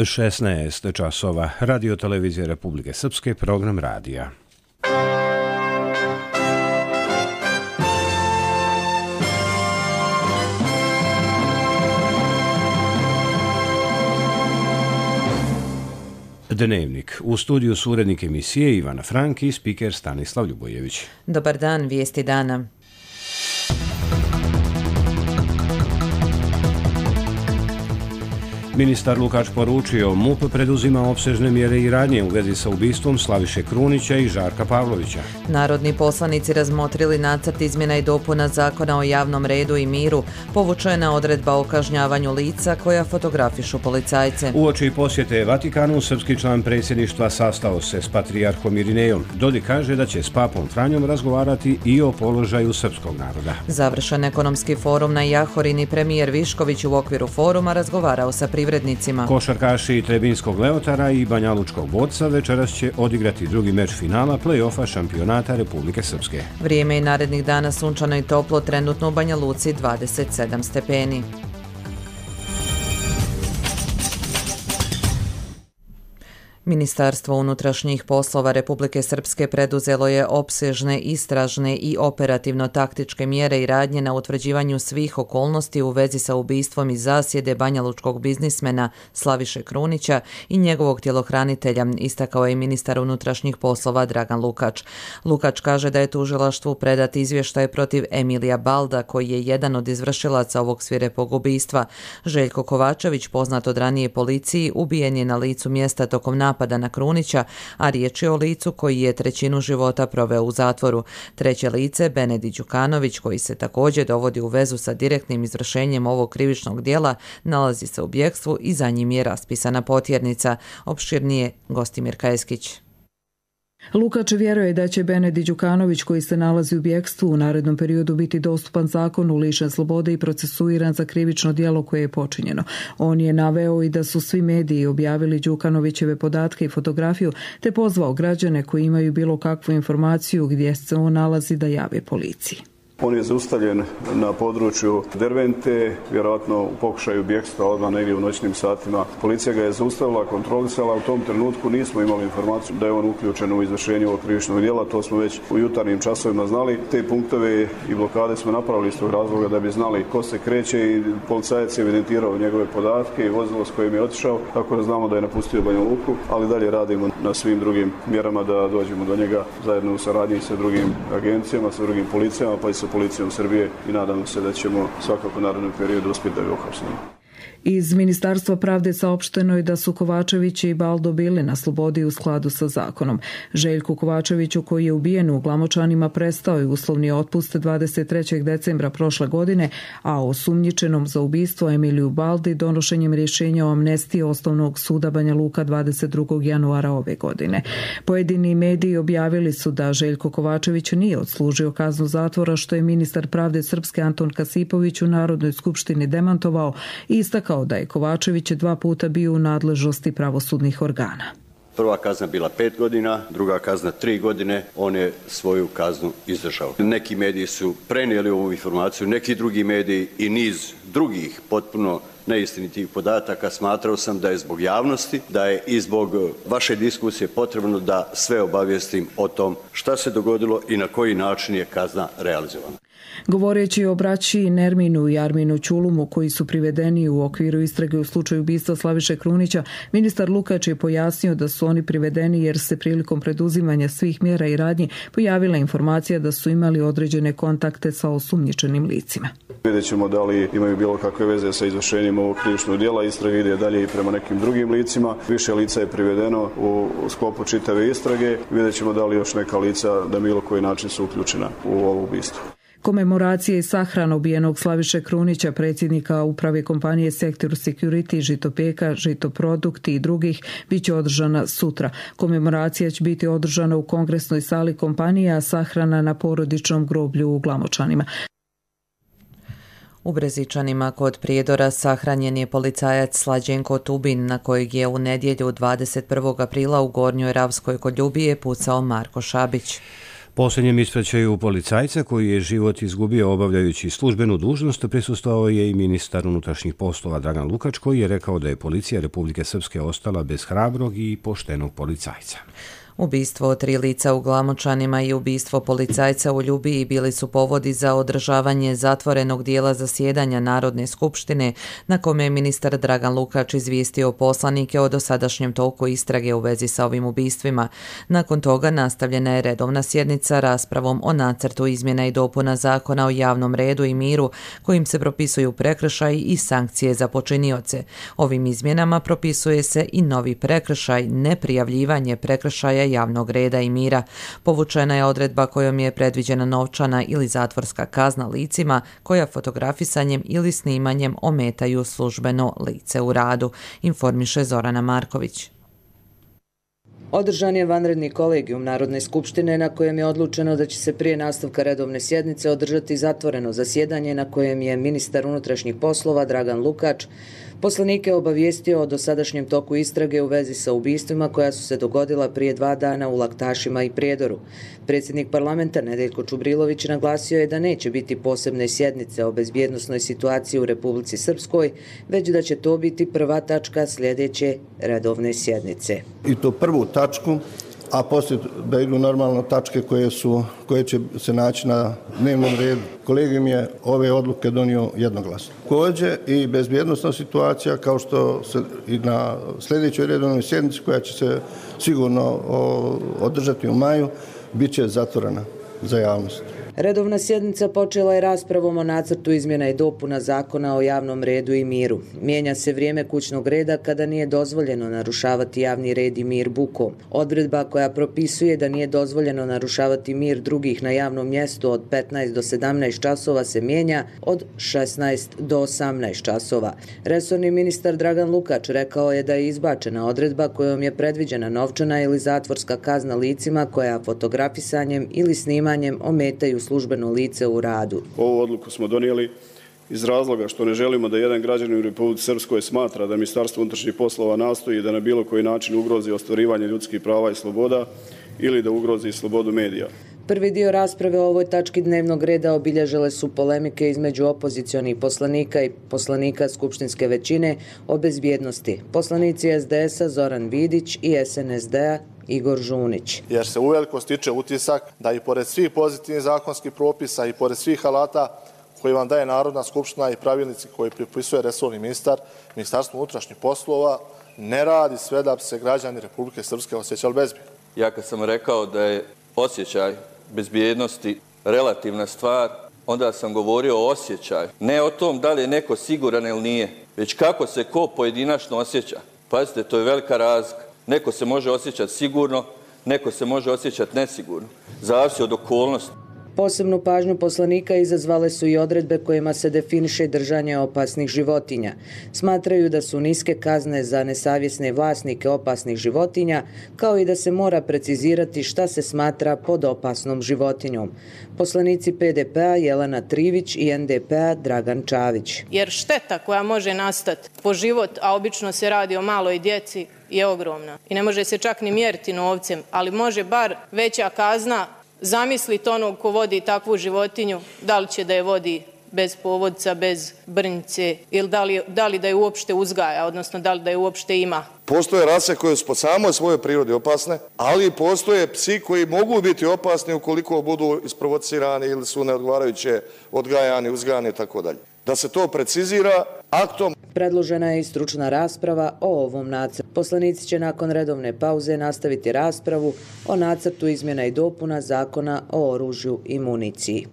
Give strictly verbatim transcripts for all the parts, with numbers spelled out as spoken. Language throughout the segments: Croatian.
šesnaest časova. Radio televizije Republike Srpske, program radija. Dnevnik. U studiju su urednik emisije Ivana Frank i spiker Stanislav Ljubojević. Dobar dan, vijesti dana. Ministar Lukač poručio, M U P preduzima opsežne mjere i radnje u vezi sa ubistvom Slaviše Krunića i Žarka Pavlovića. Narodni poslanici razmotrili nacrt izmjena i dopuna Zakona o javnom redu i miru. Povučena odredba o kažnjavanju lica koja fotografišu policajce. Uoči posjete Vatikanu, srpski član predsjedništva sastao se s patrijarhom Irinejom. Dodik kaže da će s papom Franjom razgovarati i o položaju srpskog naroda. Završen ekonomski forum na Jahorini, premijer Višković u okviru foruma razgovarao sa privrednicima. Košarkaši Trebinskog Leotara i Banjalučkog Borca večeras će odigrati drugi meč finala play-offa šampionata Republike Srpske. Vrijeme i narednih dana sunčano i toplo, trenutno u Banja Luci dvadeset sedam stepeni. Ministarstvo unutrašnjih poslova Republike Srpske preduzelo je opsežne istražne i operativno-taktičke mjere i radnje na utvrđivanju svih okolnosti u vezi sa ubistvom iz zasjede banjalučkog biznismena Slaviše Krunića i njegovog tjelohranitelja, istakao je ministar unutrašnjih poslova Dragan Lukač. Lukač kaže da je tužilaštvu predat izvještaj protiv Emilija Balda, koji je jedan od izvršilaca ovog svirepog ubistva. Željko Kovačević, poznat od ranije policiji, ubijen je na licu mjesta tokom napada na Krunića, a riječ je o licu koji je trećinu života proveo u zatvoru. Treće lice, Benedi Đukanović, koji se također dovodi u vezu sa direktnim izvršenjem ovog krivičnog dijela, nalazi se u bjegstvu i za njim je raspisana potjernica. Opširnije Gostimir Kajeskić. Lukač vjeruje da će Benedi Đukanović, koji se nalazi u bjegstvu, u narednom periodu biti dostupan zakonu, lišen slobode i procesuiran za krivično djelo koje je počinjeno. On je naveo i da su svi mediji objavili Đukanovićeve podatke i fotografiju, te pozvao građane koji imaju bilo kakvu informaciju gdje se on nalazi da jave policiji. On je zaustavljen na području Dervente, vjerojatno u pokušaju bjegstva odmah negdje u noćnim satima. Policija ga je zaustavila, kontrolisala, u tom trenutku nismo imali informaciju da je on uključen u izvršenje ovog krivičnog djela, to smo već u jutarnjim časovima znali. Te punktove i blokade smo napravili iz tog razloga da bi znali ko se kreće i policajac je evidentirao njegove podatke i vozilo s kojim je otišao, tako da znamo da je napustio Banja Luku, ali dalje radimo na svim drugim mjerama da dođemo do njega zajedno u saradnji sa drugim agencijama, sa drugim policijama, pa i sa policijom Srbije i nadamo se da ćemo svakako u narednom periodu uspjeti da ga uhapsimo. Iz Ministarstva pravde saopšteno je da su Kovačević i Baldo bili na slobodi u skladu sa zakonom. Željku Kovačeviću, koji je ubijen u Glamočanima, prestao je uslovni otpust dvadeset trećeg decembra prošle godine, a osumnjičenom za ubistvo Emiliju Baldi donošenjem rješenja o amnestiji Osnovnog suda Banja Luka dvadeset drugog januara ove godine. Pojedini mediji objavili su da Željko Kovačević nije odslužio kaznu zatvora, što je ministar pravde Srpske Anton Kasipović u Narodnoj skupštini demantovao i istakao kao da je Kovačević dva puta bio u nadležnosti pravosudnih organa. Prva kazna bila pet godina, druga kazna tri godine, on je svoju kaznu izdržao. Neki mediji su prenijeli ovu informaciju, neki drugi mediji i niz drugih potpuno neistinitih podataka. Smatrao sam da je zbog javnosti, da je i zbog vaše diskusije potrebno da sve obavijestim o tom šta se dogodilo i na koji način je kazna realizovana. Govoreći o braći Nerminu i Arminu Ćulumu, koji su privedeni u okviru istrage u slučaju ubistva Slaviše Krunića, ministar Lukač je pojasnio da su oni privedeni jer se prilikom preduzimanja svih mjera i radnji pojavila informacija da su imali određene kontakte sa osumnjičenim licima. Vidjet ćemo da li imaju bilo kakve veze sa izvršenjem ovog krivičnog djela. Istraga ide dalje i prema nekim drugim licima. Više lica je privedeno u sklopu čitave istrage. Vidjet ćemo da li još neka lica na bilo koji način su uključena u ovo ubistvo. Komemoracija i sahrana ubijenog Slaviše Krunića, predsjednika uprave kompanije Sektor Security, Žitopeka, Žitoprodukti i drugih, bit će održana sutra. Komemoracija će biti održana u kongresnoj sali kompanije, a sahrana na porodičnom groblju u Glamočanima. U Brezičanima kod Prijedora sahranjen je policajac Slađenko Tubin, na kojeg je u nedjelju dvadeset prvog aprila u Gornjoj Ravskoj kod Ljubije pucao Marko Šabić. Posljednjem ispraćaju policajca koji je život izgubio obavljajući službenu dužnost prisustvovao je i ministar unutrašnjih poslova Dragan Lukač, koji je rekao da je policija Republike Srpske ostala bez hrabrog i poštenog policajca. Ubistvo tri lica u Glamočanima i ubistvo policajca u Ljubiji bili su povodi za održavanje zatvorenog dijela zasjedanja Narodne skupštine, na kome je ministar Dragan Lukač izvijestio poslanike o dosadašnjem toku istrage u vezi sa ovim ubistvima. Nakon toga nastavljena je redovna sjednica raspravom o nacrtu izmjena i dopuna Zakona o javnom redu i miru, kojim se propisuju prekršaji i sankcije za počinioce. Ovim izmjenama propisuje se i novi prekršaj, neprijavljivanje prekršaja javnog reda i mira. Povučena je odredba kojom je predviđena novčana ili zatvorska kazna licima koja fotografisanjem ili snimanjem ometaju službeno lice u radu, informiše Zorana Marković. Održan je vanredni kolegijum Narodne skupštine na kojem je odlučeno da će se prije nastavka redovne sjednice održati zatvoreno zasjedanje na kojem je ministar unutrašnjih poslova Dragan Lukač poslanike obavijestio o dosadašnjem toku istrage u vezi sa ubistvima koja su se dogodila prije dva dana u Laktašima i Prijedoru. Predsjednik parlamenta Nedeljko Čubrilović naglasio je da neće biti posebne sjednice o bezbjednosnoj situaciji u Republici Srpskoj, već da će to biti prva tačka sljedeće redovne sjednice. I to prvu tačku, a poslije da idu normalno tačke koje, su, koje će se naći na dnevnom redu. Kolegijum je ove odluke donio jednoglasno. Također i bezbjednosna situacija, kao što se i na sljedećoj redovnoj sjednici koja će se sigurno održati u maju, bit će zatvorena za javnost. Redovna sjednica počela je raspravom o nacrtu izmjena i dopuna Zakona o javnom redu i miru. Mijenja se vrijeme kućnog reda kada nije dozvoljeno narušavati javni red i mir bukom. Odredba koja propisuje da nije dozvoljeno narušavati mir drugih na javnom mjestu od petnaest do sedamnaest časova se mijenja od šesnaest do osamnaest časova. Resorni ministar Dragan Lukač rekao je da je izbačena odredba kojom je predviđena novčana ili zatvorska kazna licima koja fotografisanjem ili snimanjem ometaju službeno lice u radu. Ovu odluku smo donijeli iz razloga što ne želimo da jedan građanin u Republici Srpskoj smatra da Ministarstvo unutrašnjih poslova nastoji da na bilo koji način ugrozi ostvarivanje ljudskih prava i sloboda ili da ugrozi slobodu medija. Prvi dio rasprave o ovoj tački dnevnog reda obilježile su polemike između opozicionih poslanika i poslanika skupštinske većine o bezbjednosti. Poslanici S D S-a Zoran Vidić i S N S D-a Igor Žunić. Jer se uveliko stiče utisak da i pored svih pozitivnih zakonskih propisa i pored svih alata koji vam daje Narodna skupština i pravilnici koji pripisuje resorni ministar, Ministarstvo unutrašnjih poslova ne radi sve da bi se građani Republike Srpske osjećali bezbjedno. Ja kad sam rekao da je osjećaj bezbjednosti relativna stvar, onda sam govorio o osjećaju. Ne o tom da li je neko siguran ili nije, već kako se ko pojedinačno osjeća. Pazite, to je velika razlika. Neko se može osjećati sigurno, neko se može osjećati nesigurno. Zavisi od okolnosti. Posebnu pažnju poslanika izazvale su i odredbe kojima se definiše držanje opasnih životinja. Smatraju da su niske kazne za nesavjesne vlasnike opasnih životinja, kao i da se mora precizirati šta se smatra pod opasnom životinjom. Poslanici P D P-a Jelena Trivić i N D P-a Dragan Čavić. Jer šteta koja može nastati po život, a obično se radi o maloj djeci, je ogromna. I ne može se čak ni mjeriti novcem, ali može bar veća kazna. Zamislite onog ko vodi takvu životinju, da li će da je vodi bez povodca, bez brnjice ili da li, da li da je uopšte uzgaja, odnosno da li da je uopšte ima. Postoje rase koje su po samoj svojoj prirodi opasne, ali postoje psi koji mogu biti opasni ukoliko budu isprovocirani ili su neodgovarajuće odgajani, uzgajani i tako dalje. Da se to precizira aktom. Predložena je i stručna rasprava o ovom nacrtu. Poslanici će nakon redovne pauze nastaviti raspravu o nacrtu izmjena i dopuna Zakona o oružju i municiji.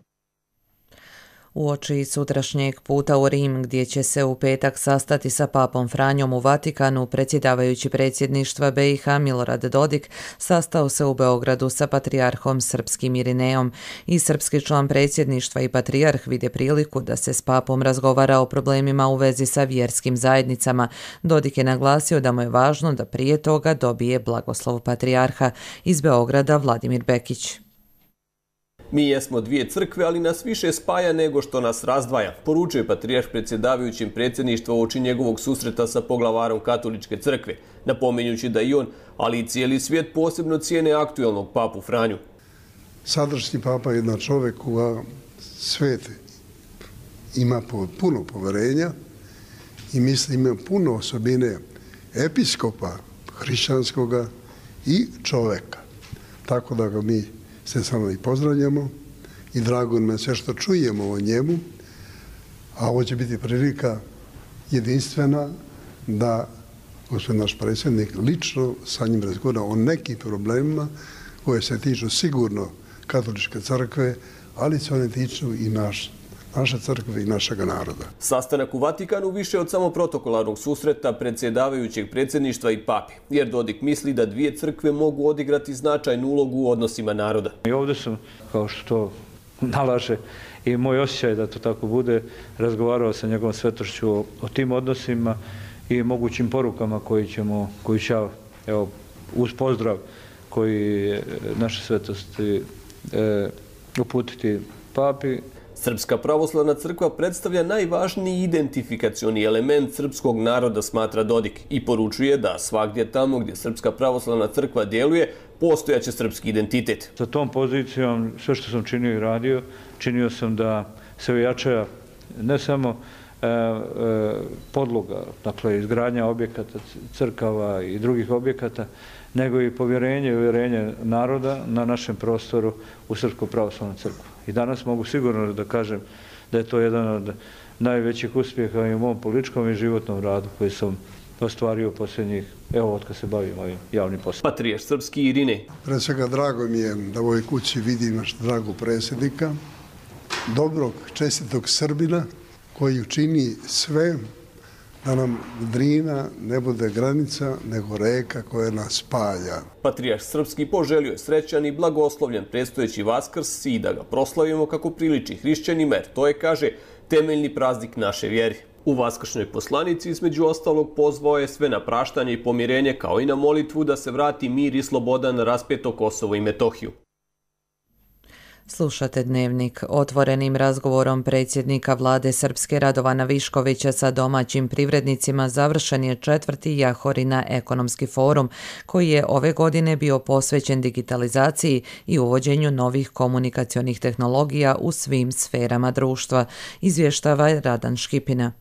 Uoči sutrašnjeg puta u Rim, gdje će se u petak sastati sa papom Franjom u Vatikanu, predsjedavajući predsjedništva B i H Milorad Dodik sastao se u Beogradu sa patrijarhom srpskim Irinejom. I srpski član predsjedništva i patrijarh vide priliku da se s papom razgovara o problemima u vezi sa vjerskim zajednicama. Dodik je naglasio da mu je važno da prije toga dobije blagoslov patrijarha. Iz Beograda Vladimir Bekić. Mi jesmo dvije crkve, ali nas više spaja nego što nas razdvaja, poručuje patrijarh predsjedavajućim predsjedništva uoči njegovog susreta sa poglavarom katoličke crkve, napominjući da i on, ali i cijeli svijet posebno cijene aktuelnog papu Franju. Sadašnji papa je jedan čovjek koga svet ima puno poverenja i mislim ima puno osobine episkopa hrišćanskoga i čovjeka. Tako da ga mi sve samo i pozdravljamo i drago nam je sve što čujemo o njemu, a ovo će biti prilika jedinstvena da gospodin naš predsjednik lično sa njim razgovara o nekim problemima koje se tiču sigurno katoličke crkve, ali se one tiču i naš, naše crkve i našega naroda. Sastanak u Vatikanu više od samo protokolarnog susreta predsjedavajućeg predsjedništva i papi, jer Dodik misli da dvije crkve mogu odigrati značajnu ulogu u odnosima naroda. I ovdje sam, kao što nalaže i moj osjećaj da to tako bude, razgovarao sa njegovom svetošću o, o tim odnosima i mogućim porukama koji ćemo, koji će, evo, uz pozdrav koji naše svetosti e, uputiti papi. Srpska pravoslavna crkva predstavlja najvažniji identifikacioni element srpskog naroda, smatra Dodik, i poručuje da svagdje tamo gdje Srpska pravoslavna crkva djeluje, postojaće srpski identitet. Sa tom pozicijom sve što sam činio i radio, činio sam da se ojača ne samo e, e, podloga, dakle izgradnja objekata, crkava i drugih objekata, nego i povjerenje i uvjerenje naroda na našem prostoru u Srpsku pravoslavnu crkvu. I danas mogu sigurno da kažem da je to jedan od najvećih uspjeha i u mom političkom i životnom radu koji sam ostvario posljednjih, evo, od kad se bavim ovim javnim poslom. Patrijarh srpski Irinej. Pre svega drago mi je da u ovoj kući vidim naš dragog predsjednika, dobrog, čestitog Srbina koji učini sve da nam Drina ne bude granica, nego reka koja nas spaja. Patrijarh srpski poželio je srećan i blagoslovljen predstojeći Vaskrs i da ga proslavimo kako priliči hrišćanima, jer to je, kaže, temeljni praznik naše vjere. U vaskršnjoj poslanici između ostalog pozvao je sve na praštanje i pomirenje, kao i na molitvu da se vrati mir i sloboda na raspeto Kosovo i Metohiju. Slušate Dnevnik. Otvorenim razgovorom predsjednika vlade Srpske Radovana Viškovića sa domaćim privrednicima završen je četvrti Jahorina ekonomski forum, koji je ove godine bio posvećen digitalizaciji i uvođenju novih komunikacionih tehnologija u svim sferama društva, izvještava Radan Škipina.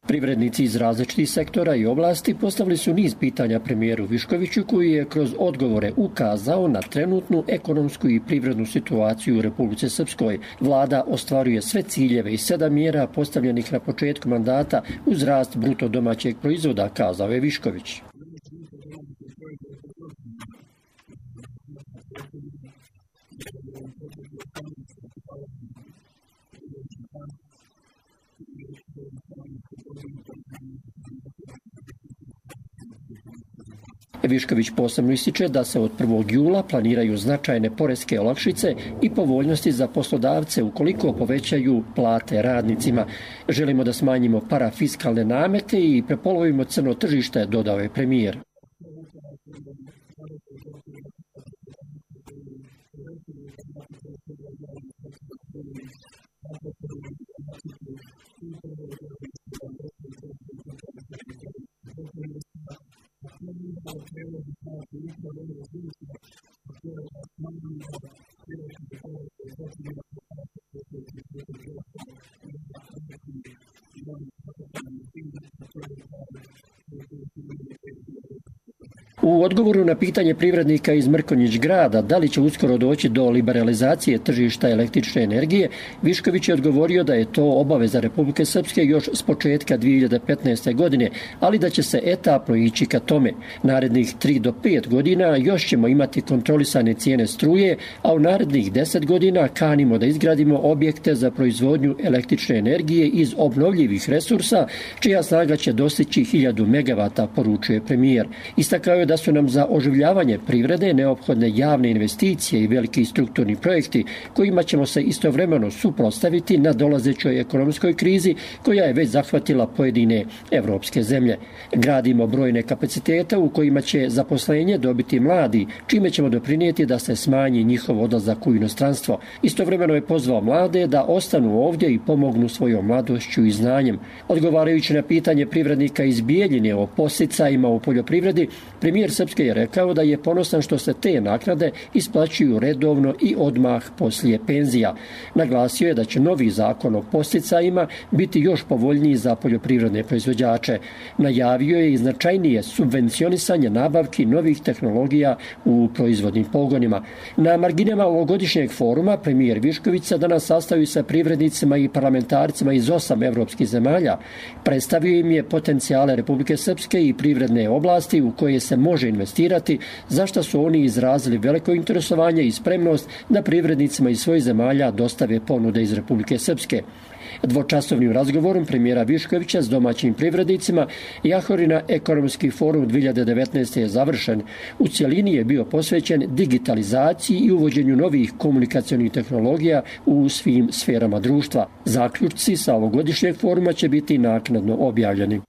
Privrednici iz različitih sektora i oblasti postavili su niz pitanja premijeru Viškoviću, koji je kroz odgovore ukazao na trenutnu ekonomsku i privrednu situaciju u Republici Srpskoj. Vlada ostvaruje sve ciljeve i sedam mjera postavljenih na početku mandata uz rast bruto domaćeg proizvoda, kazao je Višković. Višković posebno ističe da se od prvog jula planiraju značajne poreske olakšice i povoljnosti za poslodavce ukoliko povećaju plate radnicima. Želimo da smanjimo parafiskalne namete i prepolovimo crno tržište, dodao je premijer. U odgovoru na pitanje privrednika iz Mrkonjić grada da li će uskoro doći do liberalizacije tržišta električne energije, Višković je odgovorio da je to obaveza Republike Srpske još s početka dvije hiljade petnaeste. godine, ali da će se etapno ići ka tome. Narednih tri do pet godina još ćemo imati kontrolisane cijene struje, a u narednih deset godina kanimo da izgradimo objekte za proizvodnju električne energije iz obnovljivih resursa, čija snaga će dostići hiljadu megavata, poručuje premijer. Istakao je da su nam za oživljavanje privrede neophodne javne investicije i veliki strukturni projekti kojima ćemo se istovremeno suprotstaviti na dolazećoj ekonomskoj krizi koja je već zahvatila pojedine evropske zemlje. Gradimo brojne kapacitete u kojima će zaposlenje dobiti mladi, čime ćemo doprinijeti da se smanji njihov odlazak u inostranstvo. Istovremeno je pozvao mlade da ostanu ovdje i pomognu svojom mladošću i znanjem. Odgovarajući na pitanje privrednika iz Bijeljine o podsticajima u poljoprivredi, premijer Premijer Srpske je rekao da je ponosan što se te naknade isplaćuju redovno i odmah poslije penzija. Naglasio je da će novi zakon o podsticajima biti još povoljniji za poljoprivredne proizvođače. Najavio je i značajnije subvencionisanje nabavki novih tehnologija u proizvodnim pogonima. Na marginama ovogodišnjeg foruma premijer Višković se danas sastavi sa privrednicima i parlamentarcima iz osam evropskih zemalja. Predstavio im je potencijale Republike Srpske i privredne oblasti u koje se može investirati, za što su oni izrazili veliko interesovanje i spremnost da privrednicima iz svojih zemalja dostave ponude iz Republike Srpske. Dvočasovnim razgovorom premijera Viškovića s domaćim privrednicima Jahorina ekonomski forum dvije hiljade devetnaeste. je završen. U cjelini je bio posvećen digitalizaciji i uvođenju novih komunikacionih tehnologija u svim sferama društva. Zaključci sa ovogodišnjeg foruma će biti naknadno objavljeni.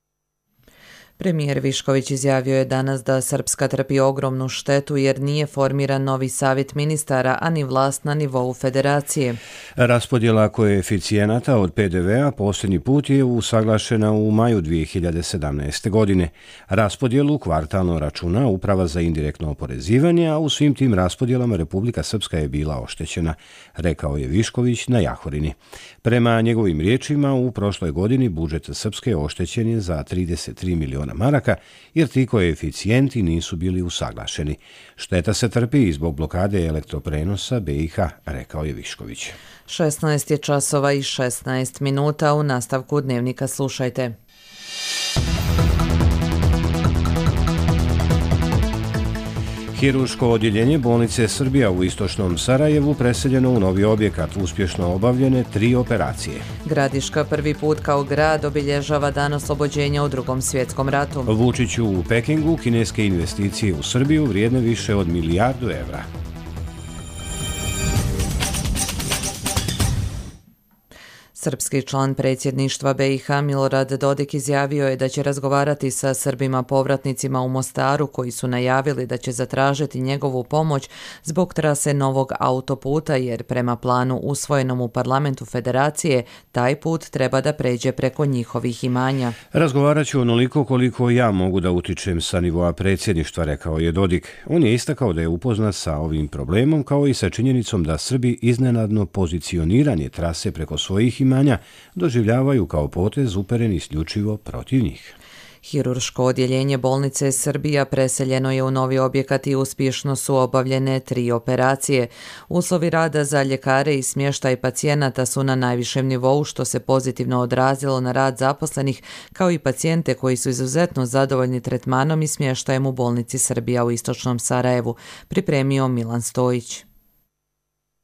Premijer Višković izjavio je danas da Srpska trpi ogromnu štetu jer nije formiran novi savjet ministara, a ni vlast na nivou federacije. Raspodjela koeficijenata od P D V-a posljednji put je usaglašena u maju dvije hiljade sedamnaeste. godine. Raspodjelu kvartalno računa Uprava za indirektno oporezivanje, a u svim tim raspodjelama Republika Srpska je bila oštećena, rekao je Višković na Jahorini. Prema njegovim riječima, u prošloj godini budžet Srpske oštećen je za trideset tri miliona maraka, jer ti koeficijenti nisu bili usaglašeni. Šteta se trpi i zbog blokade elektroprenosa B i H, rekao je Višković. šesnaest je časova i šesnaest minuta. U nastavku dnevnika slušajte. Hirurško odjeljenje bolnice Srbija u istočnom Sarajevu preseljeno u novi objekat, uspješno obavljene tri operacije. Gradiška prvi put kao grad obilježava dan oslobođenja u Drugom svjetskom ratu. Vučiću u Pekingu kineske investicije u Srbiju vrijedne više od milijardu evra. Srpski član predsjedništva B i H Milorad Dodik izjavio je da će razgovarati sa Srbima povratnicima u Mostaru koji su najavili da će zatražiti njegovu pomoć zbog trase novog autoputa jer prema planu usvojenom u parlamentu federacije taj put treba da pređe preko njihovih imanja. Razgovarat ću onoliko koliko ja mogu da utičem sa nivoa predsjedništva, rekao je Dodik. On je istakao da je upoznat sa ovim problemom kao i sa činjenicom da Srbi iznenadno pozicioniranje trase preko svojih imanja doživljavaju kao potez uperen isključivo protiv njih. Hirurško odjeljenje bolnice Srbija preseljeno je u novi objekat i uspješno su obavljene tri operacije. Uslovi rada za ljekare i smještaj pacijenata su na najvišem nivou, što se pozitivno odrazilo na rad zaposlenih, kao i pacijente koji su izuzetno zadovoljni tretmanom i smještajem u bolnici Srbija u istočnom Sarajevu, pripremio Milan Stojić.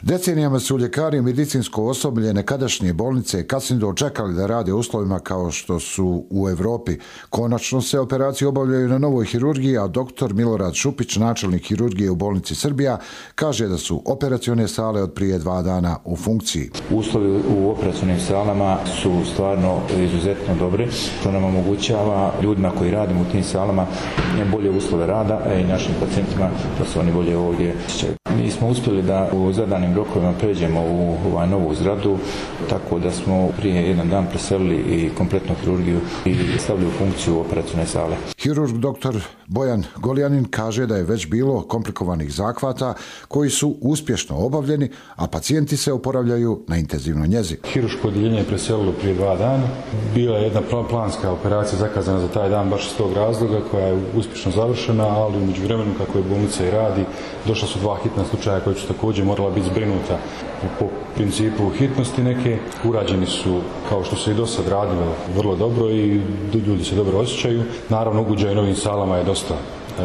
Decenijama su ljekari i medicinsko osoblje nekadašnje bolnice kasnije čekali da rade u uslovima kao što su u Evropi. Konačno se operacije obavljaju na novoj hirurgiji, a doktor Milorad Šupić, načelnik hirurgije u bolnici Srbija, kaže da su operacione sale od prije dva dana u funkciji. Uslovi u operacionim salama su stvarno izuzetno dobri, što nam omogućava ljudima koji radimo u tim salama bolje uslove rada, a i našim pacijentima da se oni bolje ovdje osjećaju. Mi smo uspjeli da u zadanim rokovima pređemo u ovaj novu zgradu, tako da smo prije jedan dan preselili i kompletnu hirurgiju i stavili u funkciju operacione sale. Hirurg doktor Bojan Goljanin kaže da je već bilo komplikovanih zahvata koji su uspješno obavljeni, a pacijenti se oporavljaju na intenzivnoj njezi. Hirurško odjeljenje je preselilo prije dva dana. Bila je jedna planska operacija zakazana za taj dan baš iz tog razloga koja je uspješno završena, ali u međuvremenu kako je bolnica i radi, došla su dva hitna slučaja koji su također morala biti zbrinuta po principu hitnosti neke. Urađeni su, kao što se i do sad radilo, vrlo dobro i ljudi se dobro osjećaju. Naravno, ugođaj novim salama je dosta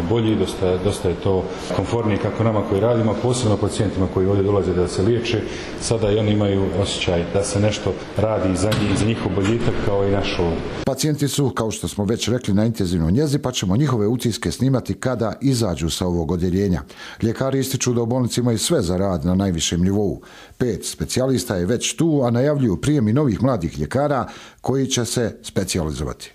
bolji, dosta, dosta je to komfortnije kako nama koji radimo, posebno pacijentima koji ovdje dolaze da se liječe. Sada i oni imaju osjećaj da se nešto radi za njih, za njihov boljitak kao i naš ovdje. Pacijenti su, kao što smo već rekli, na intenzivnoj njezi, pa ćemo njihove utiske snimati kada izađu sa ovog odjeljenja. Ljekari ističu da u bolnici imaju sve za rad na najvišem nivou. Pet specijalista je već tu, a najavljuju prijem i novih mladih ljekara koji će se specijalizovati.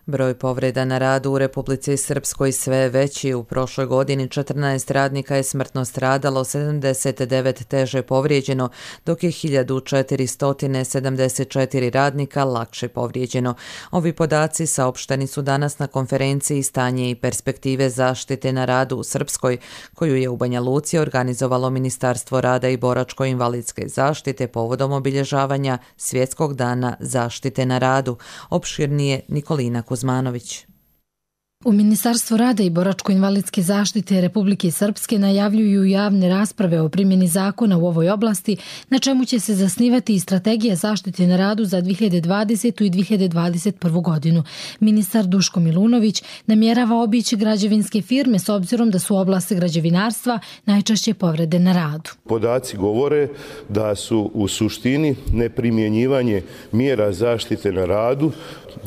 Broj povreda na radu u Republici Srpskoj sve je veći. U prošloj godini četrnaest radnika je smrtno stradalo, sedamdeset devet teže povrijeđeno, dok je hiljadu četiristo sedamdeset četiri radnika lakše povrijeđeno. Ovi podaci saopšteni su danas na konferenciji Stanje i perspektive zaštite na radu u Srpskoj, koju je u Banja Luci organizovalo Ministarstvo rada i boračko-invalidske zaštite povodom obilježavanja Svjetskog dana zaštite na radu. Opširnije Nikolina Kuzmanović. U Ministarstvu rada i boračko-invalidske zaštite Republike Srpske najavljuju javne rasprave o primjeni zakona u ovoj oblasti, na čemu će se zasnivati i strategija zaštite na radu za dvije hiljade dvadesetu. i dvije hiljade dvadeset prvu. godinu. Ministar Duško Milunović namjerava obići građevinske firme s obzirom da su u oblasti građevinarstva najčešće povrede na radu. Podaci govore da su u suštini neprimjenjivanje mjera zaštite na radu,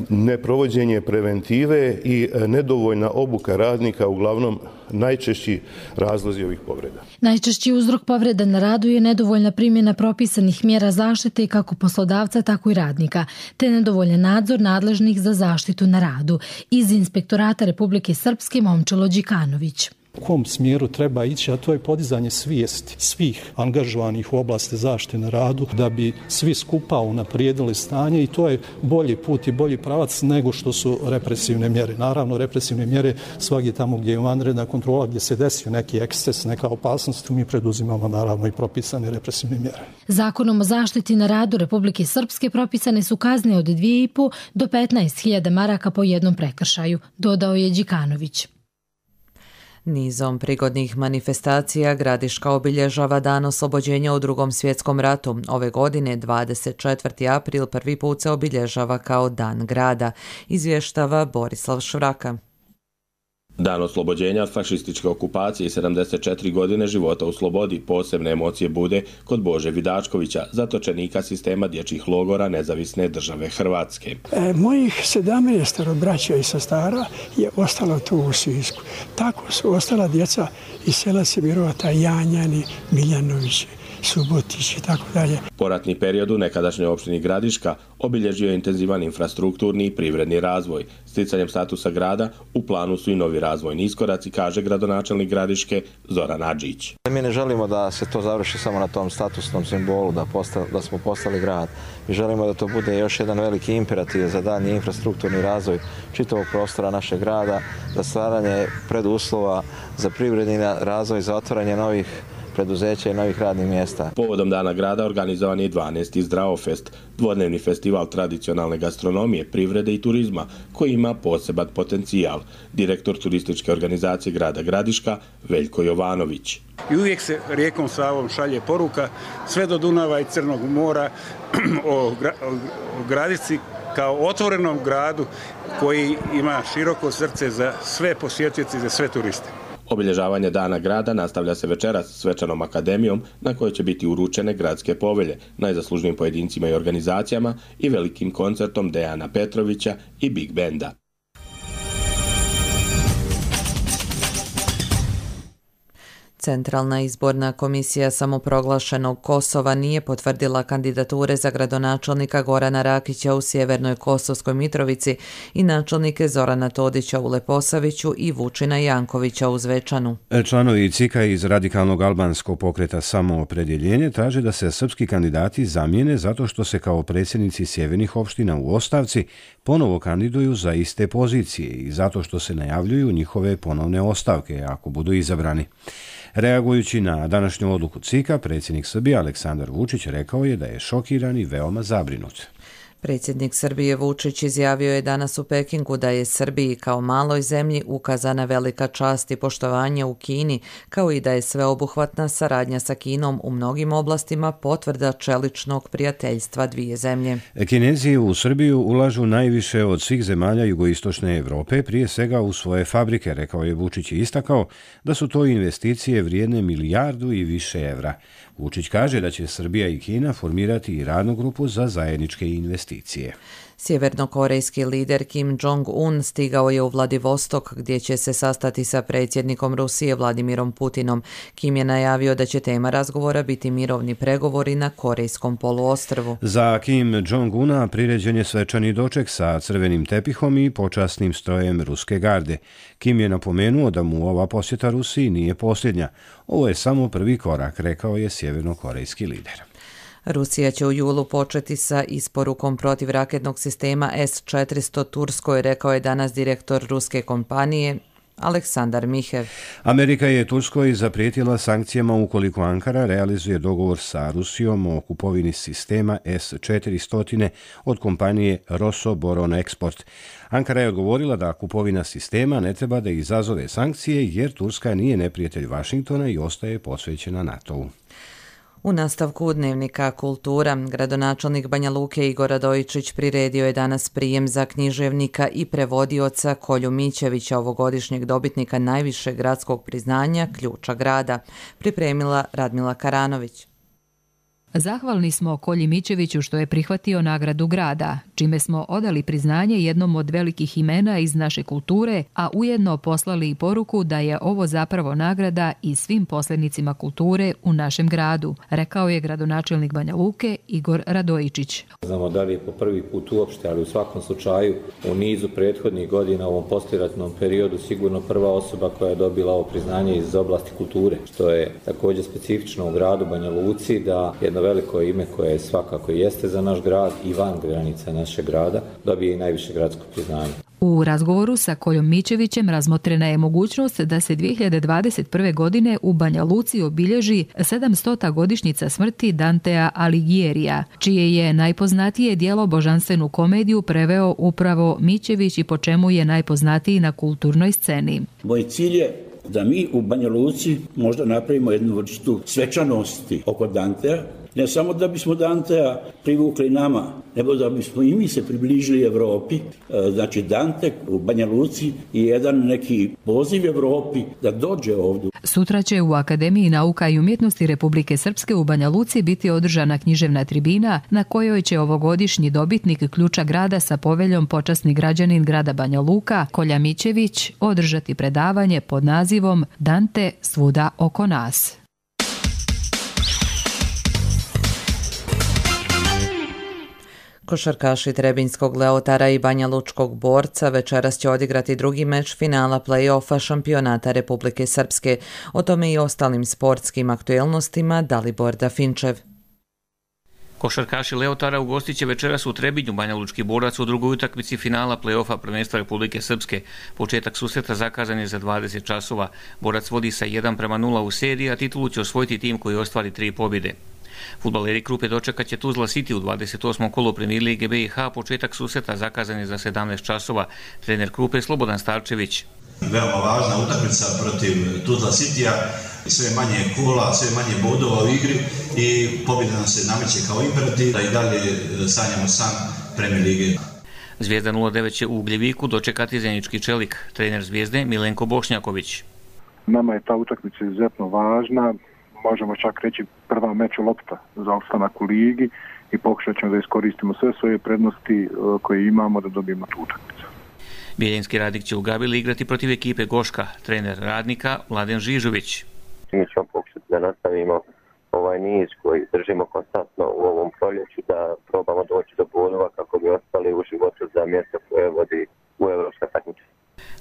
neprovođenje preventive i nedovoljna obuka radnika uglavnom najčešći razlozi ovih povreda. Najčešći uzrok povreda na radu je nedovoljna primjena propisanih mjera zaštite kako poslodavca, tako i radnika, te nedovoljan nadzor nadležnih za zaštitu na radu. Iz Inspektorata Republike Srpske Momčilo Đikanović. U kom smjeru treba ići, a to je podizanje svijesti svih angažovanih u oblasti zaštite na radu da bi svi skupa unaprijedili stanje i to je bolji put i bolji pravac nego što su represivne mjere. Naravno, represivne mjere svagdje tamo gdje je vanredna kontrola, gdje se desio neki eksces, neka opasnost, mi preduzimamo naravno i propisane represivne mjere. Zakonom o zaštiti na radu Republike Srpske propisane su kazne od dvije i po do petnaest hiljada maraka po jednom prekršaju, dodao je Đikanović. Nizom prigodnih manifestacija Gradiška obilježava dan oslobođenja u Drugom svjetskom ratu. Ove godine, dvadeset četvrti april, prvi put se obilježava kao Dan grada, izvještava Borislav Šuraka. Dan oslobođenja od fašističke okupacije i sedamdeset četiri godine života u slobodi posebne emocije bude kod Bože Vidačkovića, zatočenika sistema dječjih logora Nezavisne države Hrvatske. E, mojih sedamnaest braća i sestara je ostalo tu u Sisku. Tako su ostala djeca iz sela Sibirovata, Janjani, Miljanovići, Subotić i tako dalje. Poratni period u nekadašnjoj opštini Gradiška obilježio je intenzivan infrastrukturni i privredni razvoj. Sticanjem statusa grada u planu su i novi razvojni iskoraci, kaže gradonačelnik Gradiške Zoran Adžić. Mi ne želimo da se to završi samo na tom statusnom simbolu, da, posta, da smo postali grad. Mi želimo da to bude još jedan veliki imperativ za daljnji infrastrukturni razvoj čitavog prostora našeg grada, za stvaranje preduslova za privredni razvoj, za otvaranje novih preduzeća i novih radnih mjesta. Povodom Dana grada organizovan je dvanaesti Zdravofest, dvodnevni festival tradicionalne gastronomije, privrede i turizma, koji ima poseban potencijal. Direktor turističke organizacije grada Gradiška, Veljko Jovanović. I uvijek se rijekom Savom šalje poruka sve do Dunava i Crnog mora o, gra, o Gradišci kao otvorenom gradu koji ima široko srce za sve posjetioce i za sve turiste. Obilježavanje Dana grada nastavlja se večeras svečanom akademijom na kojoj će biti uručene gradske povelje najzaslužnijim pojedincima i organizacijama i velikim koncertom Dejana Petrovića i Big Benda. Centralna izborna komisija samoproglašenog Kosova nije potvrdila kandidature za gradonačelnika Gorana Rakića u Sjevernoj Kosovskoj Mitrovici i načelnike Zorana Todića u Leposaviću i Vučina Jankovića u Zvečanu. Članovi C I K-a iz radikalnog albanskog pokreta Samoopredjeljenje traže da se srpski kandidati zamijene zato što se kao predsjednici sjevernih opština u ostavci ponovo kandiduju za iste pozicije i zato što se najavljuju njihove ponovne ostavke ako budu izabrani. Reagujući na današnju odluku C I K-a, predsjednik Srbije Aleksandar Vučić rekao je da je šokiran i veoma zabrinut. Predsjednik Srbije Vučić izjavio je danas u Pekingu da je Srbiji kao maloj zemlji ukazana velika čast i poštovanje u Kini, kao i da je sveobuhvatna saradnja sa Kinom u mnogim oblastima potvrda čeličnog prijateljstva dvije zemlje. Kinezi u Srbiju ulažu najviše od svih zemalja jugoistočne Evrope, prije svega u svoje fabrike, rekao je Vučić i istakao da su to investicije vrijedne milijardu i više evra. Vučić kaže da će Srbija i Kina formirati i radnu grupu za zajedničke investicije. Sjevernokorejski lider Kim Jong-un stigao je u Vladivostok gdje će se sastati sa predsjednikom Rusije Vladimirom Putinom. Kim je najavio da će tema razgovora biti mirovni pregovori na Korejskom poluostrvu. Za Kim Jong-una priređen je svečani doček sa crvenim tepihom i počasnim strojem ruske garde. Kim je napomenuo da mu ova posjeta Rusiji nije posljednja. Ovo je samo prvi korak, rekao je sjevernokorejski lider. Rusija će u julu početi sa isporukom protivraketnog sistema S četiristo Turskoj, rekao je danas direktor ruske kompanije Aleksandar Mihev. Amerika je Turskoj zaprijetila sankcijama ukoliko Ankara realizuje dogovor sa Rusijom o kupovini sistema S četiristo od kompanije Rosoboronexport. Ankara je odgovorila da kupovina sistema ne treba da izazove sankcije jer Turska nije neprijatelj Vašingtona i ostaje posvećena NATO-u. U nastavku dnevnika Kultura, gradonačelnik Banja Luke Igor Radojičić priredio je danas prijem za književnika i prevodioca Kolju Mićevića, ovogodišnjeg dobitnika najvišeg gradskog priznanja Ključa grada, pripremila Radmila Karanović. Zahvalni smo Kolji Mićeviću što je prihvatio nagradu grada, čime smo odali priznanje jednom od velikih imena iz naše kulture, a ujedno poslali i poruku da je ovo zapravo nagrada i svim poslednicima kulture u našem gradu, rekao je gradonačelnik Banja Luke Igor Radojičić. Znamo da li je po prvi put uopšte, ali u svakom slučaju u nizu prethodnih godina u ovom poslijeratnom periodu sigurno prva osoba koja je dobila ovo priznanje iz oblasti kulture, što je također specifično u gradu Banja Luci, da jedno veliko ime koje svakako jeste za naš grad i van granica našeg grada dobije i najviše gradsko priznanje. U razgovoru sa Koljom Mićevićem razmotrena je mogućnost da se dvije hiljade dvadeset prve. godine u Banja Luci obilježi sedamstota godišnjica smrti Dantea Alighiera, čije je najpoznatije djelo Božanstvenu komediju preveo upravo Mićević i po čemu je najpoznatiji na kulturnoj sceni. Moj cilj je da mi u Banja Luci možda napravimo jednu vrstu svečanosti oko Dantea, ne samo da bismo Dantea privukli nama, nego da bismo i mi se približili Evropi. Znači Dante u Banja Luci je jedan neki poziv Evropi da dođe ovdje. Sutra će u Akademiji nauka i umjetnosti Republike Srpske u Banja Luci biti održana književna tribina na kojoj će ovogodišnji dobitnik Ključa grada sa poveljom počasni građanin grada Banja Luka Kolja Mićević održati predavanje pod nazivom Dante svuda oko nas. Košarkaši Trebinjskog Leotara i Banja Lučkog Borca večeras će odigrati drugi meč finala play-offa šampionata Republike Srpske. O tome i ostalim sportskim aktuelnostima Dalibor Dafinčev. Košarkaši Leotara ugostit će večeras u Trebinju Banja Lučki Borac u drugoj utakmici finala play-offa prvenstva Republike Srpske. Početak susreta zakazan je za dvadeset časova. Borac vodi sa jedan prema nula u seriji, a titulu će osvojiti tim koji ostvari tri pobjede. Fudbaleri Krupe dočekat će Tuzla City u dvadeset osmom kolu Premier Lige B i H. Početak susreta zakazan je za sedamnaest časova. Trener Krupe Slobodan Starčević. Veoma važna utakmica protiv Tuzla Citya, sve manje kola, sve manje bodova u igri i pobjeda nam se nameće kao imperativ, da i dalje sanjamo san Premier Lige. Zvijezda nula devet će u Ugljeviku dočekati Zenički Čelik. Trener Zvijezde Milenko Bošnjaković. Nama je ta utakmica izuzetno važna. Možemo čak reći prva meč lopta za opstanak u ligi i pokušat ćemo da iskoristimo sve svoje prednosti koje imamo da dobijemo tu utakmicu. Bijeljinski Radnik će u Gabili igrati protiv ekipe Goška. Trener Radnika Mladen Žižović. Mi ćemo pokušati da nastavimo ovaj niz koji držimo konstantno u ovom proljeću, da probamo doći do bodova kako bi ostali u životu za mjesto koje vodi u evropska takmičenja.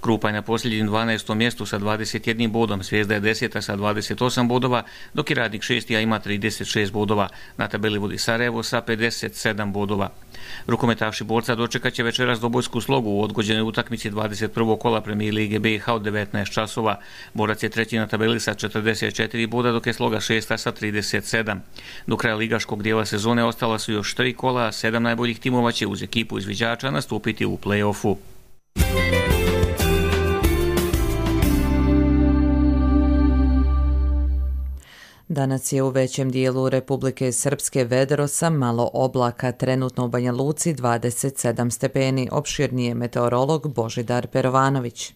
Krupa je na posljednjem dvanaestom mjestu sa dvadeset jednim bodom, Zvijezda je deseta sa dvadeset osam bodova, dok je Radnik šesti, a ima trideset šest bodova. Na tabeli vodi Sarajevo sa pedeset sedam bodova. Rukometaši Borca dočekat će večeras Dobojsku Slogu u odgođenoj utakmici dvadeset prvog kola Premier Lige B i H od devetnaest časova. Borac je treći na tabeli sa četrdeset četiri boda, dok je Sloga šesta sa trideset sedam. Do kraja ligaškog dijela sezone ostala su još tri kola, a sedam najboljih timova će uz ekipu izviđača nastupiti u play-offu. Danas je u većem dijelu Republike Srpske vedro sa malo oblaka, trenutno u Banja Luci dvadeset sedam stepeni, opširnije meteorolog Božidar Perovanović.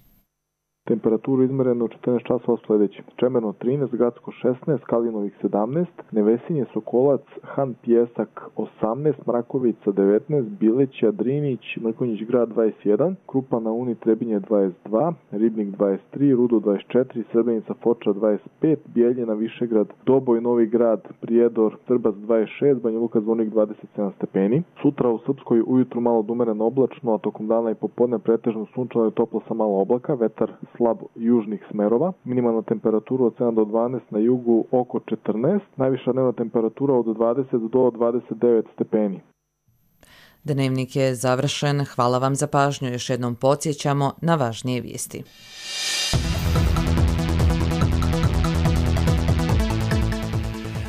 Temperaturu izmereno u četrnaest časova sljedeće. Čemerno trinaest, Gradsko šesnaest, Kalinovik sedamnaest, Nevesinje, Sokolac, Han Pjesak osamnaest, Mrakovica devetnaest, Bileća, Drinić, Mrkonjić Grad dvadeset jedan, Krupa na Uni, Trebinje dvadeset dva, Ribnik dvadeset tri, Rudo dvadeset četiri, Srebrenica, Foča dvadeset pet, Bijeljina, Višegrad, Doboj, Novi Grad, Prijedor, Trbac dvadeset šest, Banja Luka, Zvornik dvadeset sedam stepeni. Sutra u Srpskoj ujutru malo dumereno oblačno, a tokom dana i popodne pretežno sunčano i toplo sa malo oblaka, vetar slab južnih smerova, minimalna temperatura od sedam do dvanaest, na jugu oko četrnaest, najviša dnevna temperatura od dvadeset do dvadeset devet stepeni. Dnevnik je završen. Hvala vam za pažnju. Još jednom podsjećamo na važnije vijesti.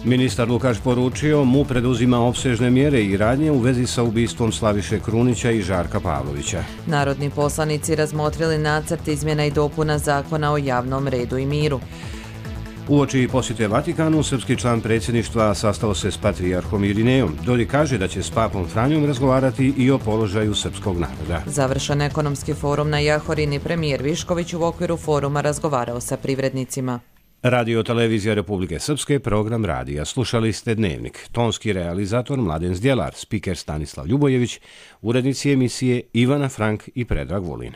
Ministar Lukač poručio, mu preduzima opsežne mjere i radnje u vezi sa ubistvom Slaviše Krunića i Žarka Pavlovića. Narodni poslanici razmotrili nacrt izmjena i dopuna zakona o javnom redu i miru. Uoči posjete Vatikanu, srpski član predsjedništva sastao se s patrijarhom Irinejom. Dodik kaže da će s papom Franjom razgovarati i o položaju srpskog naroda. Završen ekonomski forum na Jahorini, premijer Višković u okviru foruma razgovarao sa privrednicima. Radio Televizija Republike Srpske, program radija. Slušali ste Dnevnik. Tonski realizator Mladen Zdjelar, spiker Stanislav Ljubojević, urednici emisije Ivana Frank i Predrag Vulin.